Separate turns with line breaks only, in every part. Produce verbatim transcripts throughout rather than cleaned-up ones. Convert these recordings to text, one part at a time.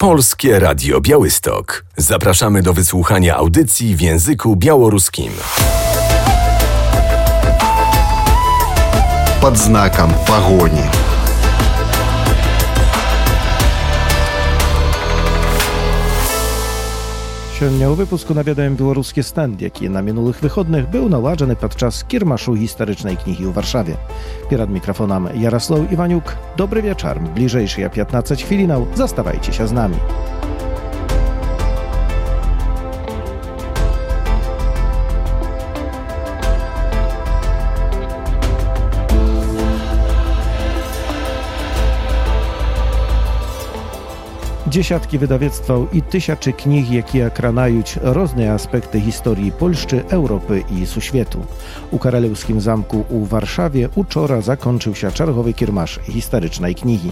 Polskie Radio Białystok. Zapraszamy do wysłuchania audycji w języku białoruskim.
Под знаком погони.
Сёння ў выпуску наведаем беларускі стэнд, які на мінулых выходных быў наладжаны падчас кірмашу гістарычнай кнігі ў Варшаве. Перад мікрафонам Ярослаў Іванюк. Добры вечар. Бліжэйшыя пятнаццаць хвілінаў. Заставайцеся з намі. Дзесяткі выдавецтваў і тысячы кніг, якія кранаюць розныя аспекты гісторыі Польшчы, Еўропы і сусвету. У каралеўскім замку ў Варшаве учора закончыўся чарговы кірмаш гістарычнай кнігі.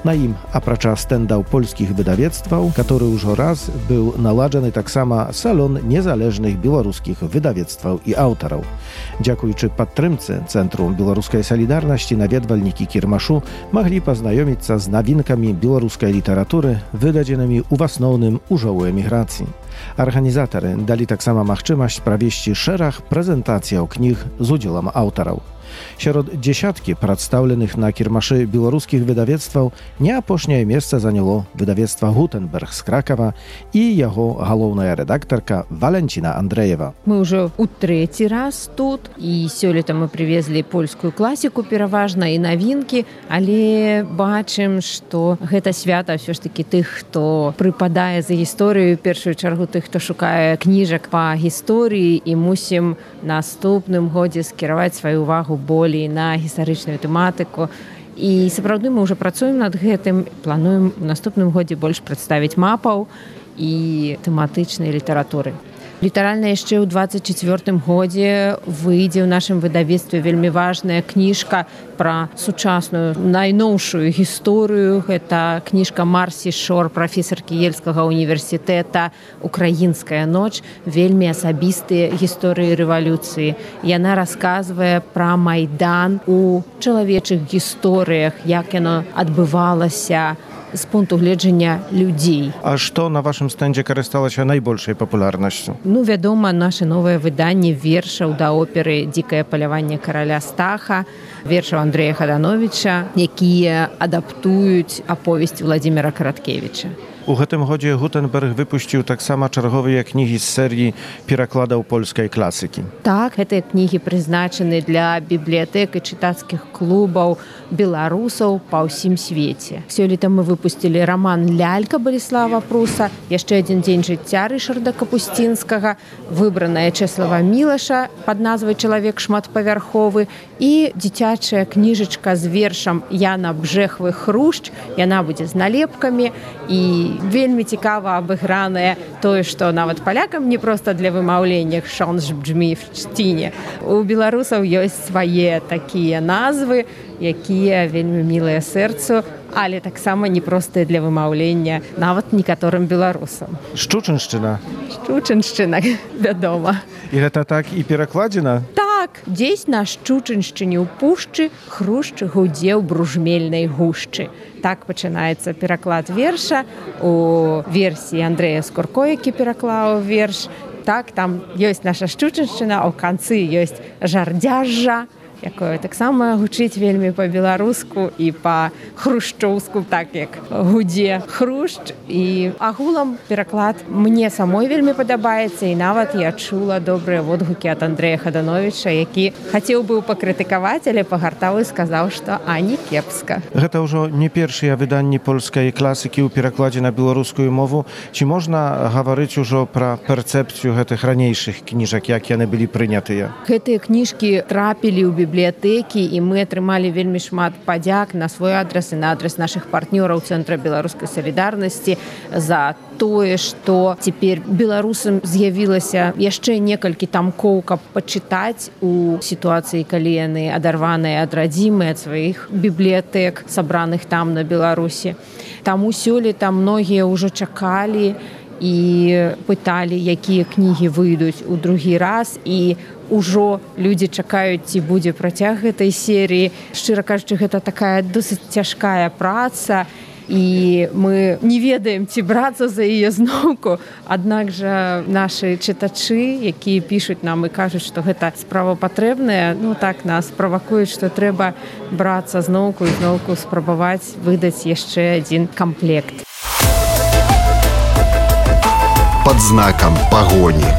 На ім, апрача стэндаў польскіх выдавецтваў, который ўжо раз быў наладжаны таксама салон незалежных беларускіх выдавецтваў і аўтараў. Дзякуючы падтрымцы Цэнтру беларускай салідарнасці наведвальнікі кірмашу маглі пазнаёміцца з навінкамі беларускай літаратуры, вydadzonymi u асноўным ужо ў эміграцыі. Арганізатары далі таксама магчымасць правесці шэраг прэзентацыяў кніг з удзелам аўтараў. Сярод дзесяткі прадстаўленых на кірмашы беларускіх выдавецтваў не апошняе месца заняло выдавецтва «Гутенберг» з Кракава і яго галоўная рэдактарка Валянціна Андрэева.
Мы ўжо ў трэці раз тут, і сёлета мы прывезлі польскую класіку пераважна і навінкі, але бачым, што гэта свята ўсё ж такі тых, хто прыпадае за гісторыю, у першую чаргу тых, хто шукае кніжак па гісторыі, і мусім наступным годзе скіраваць сваю увагу болей на гістарычную тэматыку. І сапраўды мы ўжо працуем над гэтым, плануем у наступным годзе больш прадставіць мапаў і тэматычнай літаратуры. Літаральна яшчэ ў дваццаць чацвёртым годзе выйдзе ў нашым выдавецтве вельмі важная кніжка пра сучасную найноўшую гісторыю. Гэта кніжка Марсі Шор, прафесаркі Ельскага універсітэта «Украінская ноч», вельмі асабістыя гісторыі рэвалюцыі. Яна расказвае пра Майдан у чалавечых гісторыях, як яно адбывалася з пункту гледжання людзей.
А што на вашым стэндзе карысталася найбольшай папулярнасцю?
Ну, вядома, наше новае выданне вершаў да оперы «Дзікае паляванне караля Стаха», вершаў Андрэя Хадановіча, якія адаптуюць аповесць Владзіміра Караткевіча.
У гэтым годзе Гутенберг выпусціў таксама чарговыя кнігі з серыі перакладаў польскай класікі.
Так, гэтыя кнігі прызначаны для бібліятэк і чытацкіх клубаў беларусаў па ўсім свеце. Сёлета мы выпусцілі раман «Лялька» Баліслава Пруса, яшчэ адзін дзень жыцця Рышарда Капусцінскага, выбраная Чэслава Мілаша пад назвай «Чалавек шматпавярховы» і дзіцячая кніжачка з вершам Яна Бжэхвы «Хрушч». Яна будзе з налепкамі і вельмі цікава абыгранае тое, што нават палякам не проста для вымаўлення «Шонж бджмі в чціне». У беларусаў ёсць свае такія назвы, якія вельмі мілыя сэрцу, але таксама непростыя для вымаўлення нават некаторым беларусам.
Шчучыншчына.
Шчучыншчына, вядома.
І гэта так і перакладзена?
Так, дзесь на Шчучыншчыне ў пушчы хрушч гудзе ў бружмельнай гушчы. Так пачынаецца пераклад верша у версіі Андрэя Скурко, які пераклаў верш. Так, там ёсць наша Шчучыншчына, а ў канцы ёсць жардзяжжа, якое таксама гучыць вельмі па-беларуску і па-хрушчоўску, так як гудзе хрушч. І агулам пераклад мне самой вельмі падабаецца, і нават я чула добрыя водгукі ад Андрэя Хадановіча, які хацеў быў пакрытыкаваць, але пагартаў і сказаў, што а не кепска.
Гэта ўжо не першыя выданні польскай класікі ў перакладзе на беларускую мову. Ці можна гаварыць ужо пра перцэпцыю гэтых ранейшых кніжак, як яны былі прынятыя?
Гэтыя кніжкі трапілі ў бібліятэкі, і мы атрымалі вельмі шмат падзяк на свой адрас і на адрас нашых партнёраў Цэнтра беларускай салідарнасці за тое, што цяпер беларусам з'явілася яшчэ некалькі тамкоў, каб пачытаць у сітуацыі, калі яны адарваныя ад радзімы, ад сваіх бібліятэк, сабраных там на Беларусі. Таму сёлета многія ўжо чакалі і пыталі, якія кнігі выйдуць у другі раз, і ужо людзі чакаюць, ці будзе працяг гэтай серыі. Шчыра кажучы, гэта такая досыць цяжкая праца, і мы не ведаем, ці брацца за яе зноўку. Аднак жа нашы чытачы, якія пішуць нам і кажуць, што гэта справа патрэбная, ну так нас правакуюць, што трэба брацца зноўку і зноўку спрабаваць выдаць яшчэ адзін камплект.
Под знаком погони.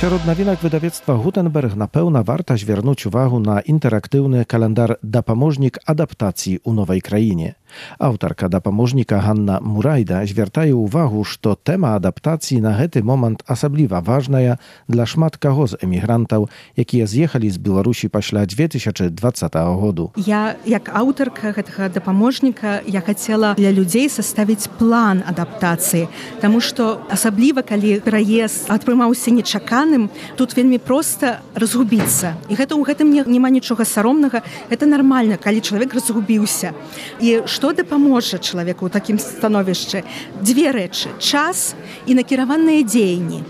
Сярод навінак выдавецтва Гутенберг напэўна варта звярнуць увагу на інтэрактыўны календар «Дапаможнік адаптацыі ў новай краіне». Аўтарка дапаможніка Ганна Мурайда звяртае ўвагу, што тэма адаптацыі на гэты момант асабліва важная для шмат каго з эмігрантаў, якія з'ехалі з Беларусі пасля две тысячы двадцатага году.
Я, як аўтарка гэтага дапаможніка, я хацела для людзей составіць план адаптацыі, таму што асабліва, калі пераезд атрымаўся нечаканым, тут вельмі проста разгубіцца. І гэта ў гэтым няма нічога саромнага, гэта нармальна, калі чалавек разгубіўся. І што дапаможа чалавеку ў такім становішчы? Дзве рэчы: час і накіраваныя дзеянні.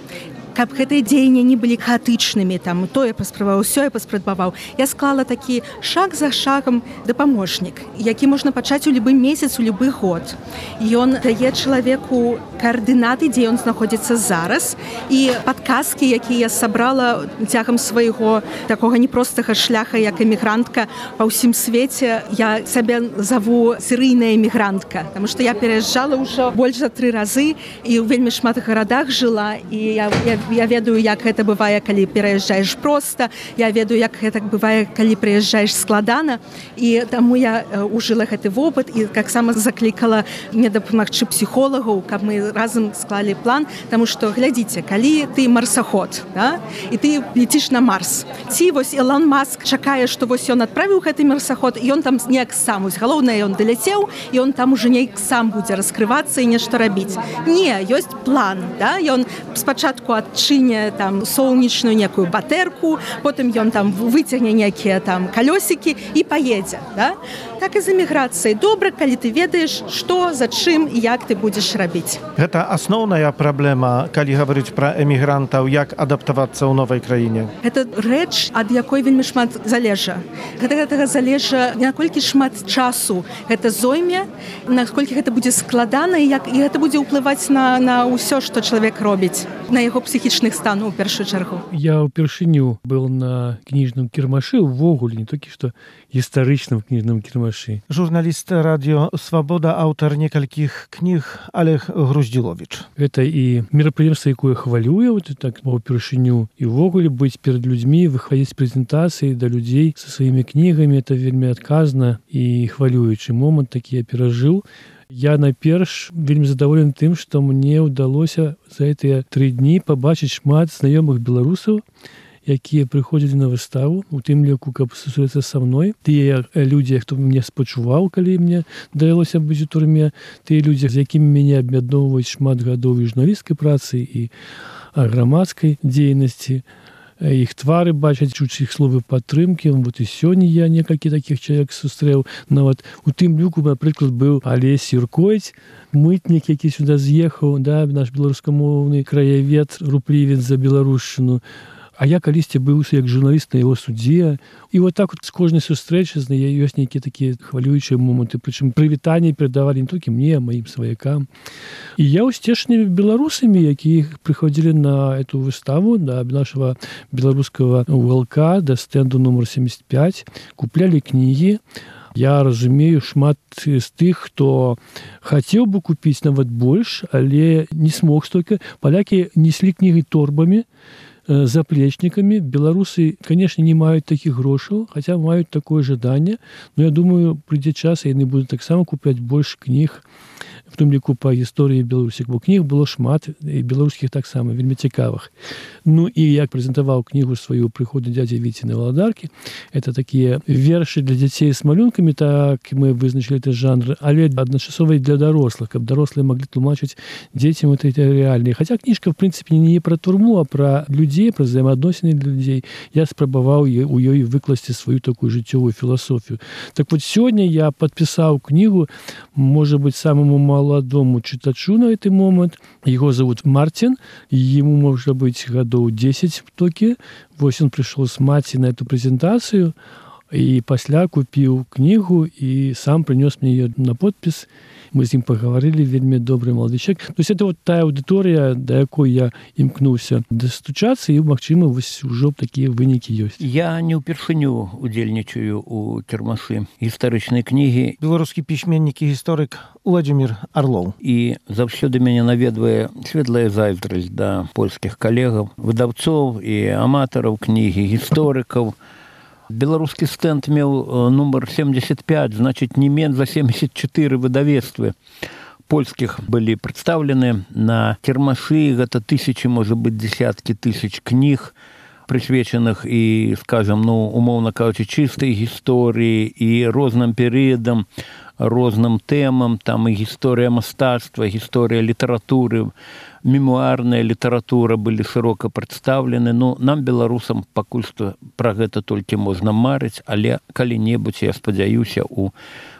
Каб гэтыя дзеянні не былі хаатычнымі, там тое паспрабаваў, сёе паспрабаваў. Я склала такі шаг за шагам дапаможнік, які можна пачаць у любы месяц, у любы год. Ён дае чалавеку каардынаты, дзе ён знаходзіцца зараз, і падказкі, якія я сабрала цягам свайго такога непростага шляха, як эмігрантка па ўсім свеце. Я сябе заву серыйная эмігрантка, таму што я пераязджала ўжо больш за тры разы і ў вельмі шмат гарадах жыла, і я, я Я ведаю, як гэта бывае, калі пераязджаеш проста, я ведаю, як гэта бывае, калі прыязджаеш складана, і таму я ужыла гэты вопыт і таксама заклікала мне дапамагчы псіхолагаў, каб мы разам склалі план, таму што, глядзіце, калі ты марсаход, да, і ты леціш на Марс, ці вось Ілон Маск чакае, што вось ён адправіў гэты марсаход, і ён там неяк сам, вось галоўнае, ён даляцеў, і он там уже неяк сам будзе раскрывацца і нешта рабіць. Не, ёсць план, да, ён спачатку ад адчыне там сонечную некую батэрку, потым ён там выцягне некія там калёсікі і паедзе, да? Так і з эміграцыяй. Добра, калі ты ведаеш, што, за чым і як ты будзеш рабіць.
Гэта асноўная праблема, калі гаварыць пра эмігрантаў, як адаптавацца ў новай краіне.
Гэта рэч, ад якой вельмі шмат залежа. Гэта гэтага залежа, наколькі шмат часу гэта зойме, наколькі гэта будзе складана і як і гэта будзе ўплываць на на ўсё, што чалавек робіць, на яго псіхічных станаў у першую чаргу.
Я ўпершыню был на кніжным кірмашы, увогуле, не толькі што гістарычным кніжным кірмашы.
Журналіст радыё «Свабода», аўтар некалькіх кніг Олег Груздзіловіч.
Гэта і мерапрыемства, якое хвалюе, вот так ўпершыню, і ўвогуле быць перад людзьмі, выхадзіць прэзентацыі да людзей са сваімі кнігамі, это вельмі адказна і хвалюючы момант, такі я перажыў. Я найперш вельмі задаволены тым, што мне ўдалося за гэтыя тры дні пабачыць шмат знаёмых беларусаў, якія прыходзілі на выставу, у тым ліку, каб сустрэцца са мной. Тыя людзі, хто мне спачуваў, калі мне давялося быць у турме, тыя людзі, з якімі мяне аб'ядноўваюць шмат гадоў і журналісцкай працы, і грамадскай дзейнасці. Іх твары бачаць, чуць іх словы падтрымкі. Вот і сёння я некалькі такіх чалавек сустрэў. Нават у тым люку, напрыклад, быў Алесь Юркоіць, мытнік, які сюда з'ехаў, да, наш беларускамоўны краявед, руплівец за беларушчыну. А я калісьці быў як журналіст на яго судзе. І вот так вот з кожнай сустрэчы ёсць нейкія такія хвалюючыя моманты, прычым прывітанні перадавалі не толькі мне, а маім сваякам. І я ўсцешны беларусамі, якія прыходзілі на эту выставу, да нашага беларускага уголка, да стэнду нумар семьдесят пять, куплялі кнігі. Я разумею шмат з тых, хто хацеў бы купіць нават больш, але не смог столькі. Палякі неслі кнігі торбамі, заплечниками. Беларусы, конечно, не маюць такіх грошаў, хаця маюць такое жаданне, но я думаю, прыйдзе час, і яны будуць таксама купляць больш кніг, в том ліку па гісторыі Беларусі, бо кніг было шмат, і беларускіх таксама, вельмі цікавых. Ну і як прэзентаваў кнігу сваю «Прыходы дзядзі Віці на валадаркі», это такія вершы для дзяцей з малюнкамі, так мы вызначылі гэты жанр, але адначасова і для дарослых, каб дарослыя маглі тлумачыць дзецям это рэальныя. Хаця кніжка, в прынцыпе, не пра турму, а пра людзей, пра взаемаадносіны для людзей. Я спрабаваў у ёй выкласці сваю такую жыццёвую філасофію. Так вот, сёння я падпісаў кнігу, можа быць, самому маладому чытачу на гэты момант. Яго зовут Мартин, ему может быть годов десять в токе. Вот он пришел с маці на эту презентацию. І пасля купіў кнігу і сам прынёс мне яе на подпіс. Мы з ім пагаварылі, вельмі добры малады чалавек. То есть это вот тая аўдыторыя, да якой я імкнуўся дастучацца, і, магчыма, вось ужо такія вынікі ёсць.
Я не ўпершыню удзельнічаю у кірмашы гістарычнай кнігі.
Беларускі пісьменнік і гісторык Уладзімір Арлоў.
І заўсёды мяне наведвае светлая зайздрасць да польскіх калегаў, выдаўцоў і аматараў кнігі, гісторыкаў. Беларускі стэнд меў нумар семьдесят пять, значыць, не менш за семьдесят четыре выдавецтвы польскіх былі прадстаўлены на кірмашы. Гэта тысячи, можа быць, десяткі тысяч кніг, прысвечаных і, скажам, ну, умоўна кажучы, чыстай гісторыі і розным перыядам, розным тэмам, там і гісторыя мастацтва, гісторыя літаратуры, мемуарная літаратура былі шырока прадстаўлены. Ну, нам, беларусам, пакуль што пра гэта толькі можна марыць, але калі-небудзь, я спадзяюся, у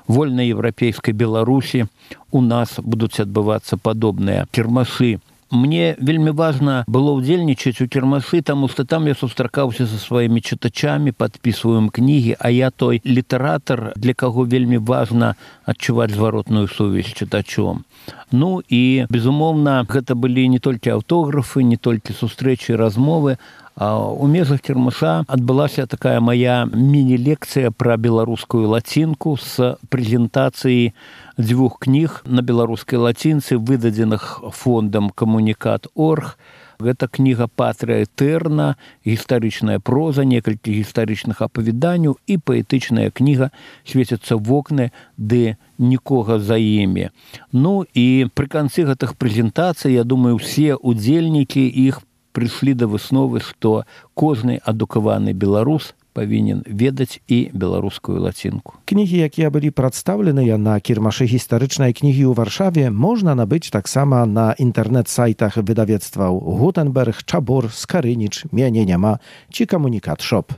вольнай еўрапейскай Беларусі у нас будуць адбывацца падобныя кірмашы. Мне вельмі важна было ўдзельнічаць у кірмашы, таму што там я сустракаўся са сваімі чытачамі, падпісваем кнігі, а я той літаратар, для каго вельмі важна адчуваць зваротную сувязь з чытачом. Ну і, безумоўна, гэта былі не толькі аўтографы, не толькі сустрэчы і размовы, а у межах кірмаша адбылася такая моя міні-лекцыя пра беларускую лацінку з прэзентацыяй дзвюх кніг на беларускай лацінцы, выдадзеных фондам камунікат точка орг. Гэта кніга Патрыя Тэрна, гістарычная проза, некалькі гістарычных апавяданняў і паэтычная кніга «Свецяцца вокны, ды нікога за імі». Ну і пры канцы гэтых прэзентацый, я думаю, усе удзельнікі іх прыйшлі да высновы, што кожны адукаваны беларус павінен ведаць і беларускую лацінку.
Кнігі, якія былі прадстаўленыя на кірмашы гістарычнай кнігі ў Варшаве, можна набыць таксама на інтэрнэт-сайтах выдавецтваў Гутенберг, Чабор, Скарыніч, Мяне няма ці Камунікат Шоп.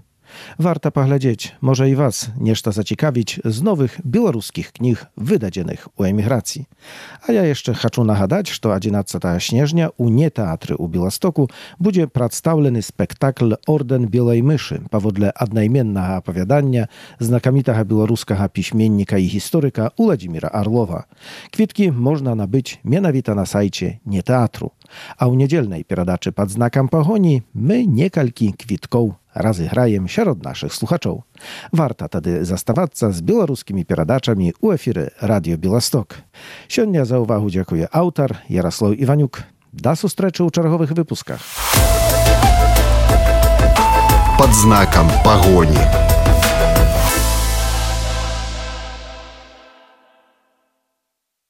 Warto poglądać, może i was nieszta zaciekawić z nowych białoruskich knih wydadzienych u emigracji. A ja jeszcze chcę nagadać, że jedenastego śnieżnia u Nie Teatry u Białostoku będzie przedstawiony spektakl Orden Białej Myszy, powodle odnajmiennego opowiadania znakomitego białoruskiego piśmiennika i historyka Uladimira Arlowa. Kwitki można nabyć mianowito na sajcie Nie Teatru. A u niedzielnej peradaczy pod znakiem pogoni my niekalki kwitków rozegrajem wśród naszych słuchaczów. Warto tedy zastawać z białoruskimi peradaczami u efiry Radio Białystok. Siądnia za uwagę dziękuję autor Jarosław Iwaniuk. Do zустрічі u czerwowych wypuskach.
Pod znakiem pogoni.